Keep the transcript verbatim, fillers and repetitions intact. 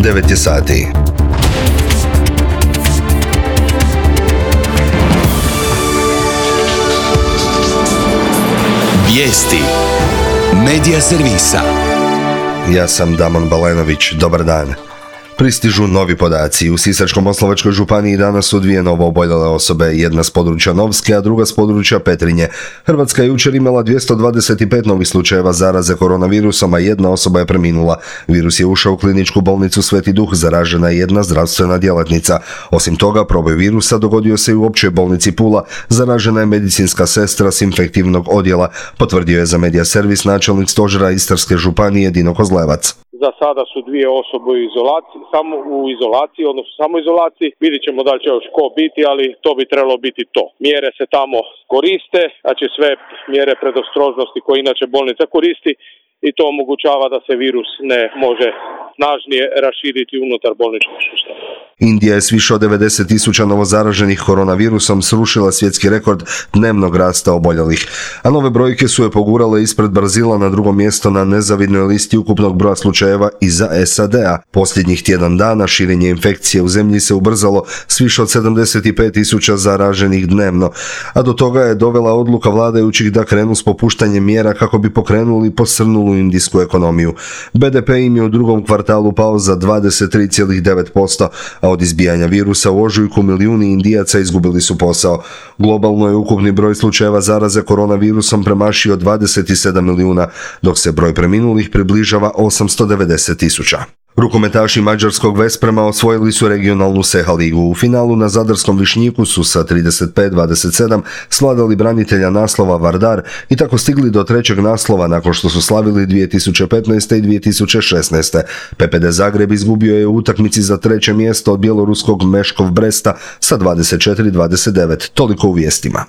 devet je sati. Vijesti Medija servisa. Ja sam Damon Balenović, dobar dan. Pristižu novi podaci. U Sisačko-moslavačkoj županiji danas su dvije novo oboljele osobe, jedna s područja Novske, a druga s područja Petrinje. Hrvatska je jučer imala dvjesto dvadeset pet novih slučajeva zaraze koronavirusom, a jedna osoba je preminula. Virus je ušao u kliničku bolnicu Sveti Duh, zaražena je jedna zdravstvena djelatnica. Osim toga, proboj virusa dogodio se i u općoj bolnici Pula, zaražena je medicinska sestra s infektivnog odjela, potvrdio je za Medija servis načelnik stožera Istarske županije Dino Kozlevac. Za sada su dvije osobe u izolaciji, samo u izolaciji, odnosno samo izolaciji. Vidjet ćemo da li će još ko biti, ali to bi trebalo biti to. Mjere se tamo koriste, znači sve mjere predostrožnosti koje inače bolnica koristi i to omogućava da se virus ne može snažnije raširiti unutar bolničkog sustava. Indija je s više od devedeset tisuća novozaraženih koronavirusom srušila svjetski rekord dnevnog rasta oboljelih, a nove brojke su je pogurale ispred Brazila na drugo mjesto na nezavidnoj listi ukupnog broja slučajeva iza S A D-a. Posljednjih tjedan dana širenje infekcije u zemlji se ubrzalo s više od sedamdeset pet tisuća zaraženih dnevno, a do toga je dovela odluka vladajućih da krenu s popuštanjem mjera kako bi pokrenuli posrnulu indijsku ekonomiju. B D P im je u drugom kvartalu pao za dvadeset tri zarez devet posto, a od izbijanja virusa u ožujku milijuni Indijaca izgubili su posao. Globalno je ukupni broj slučajeva zaraze koronavirusom premašio dvadeset sedam milijuna, dok se broj preminulih približava osamsto devedeset tisuća. Rukometaši mađarskog Vesprema osvojili su regionalnu Seha ligu. U finalu na zadarskom Višnjiku su sa trideset pet dvadeset sedam svladali branitelja naslova Vardar i tako stigli do trećeg naslova nakon što su slavili dvije tisuće petnaeste. i dvije tisuće šesnaeste. P P D Zagreb izgubio je u utakmici za treće mjesto od bjeloruskog Meškov Bresta sa dvadeset četiri dvadeset devet. Toliko u vijestima.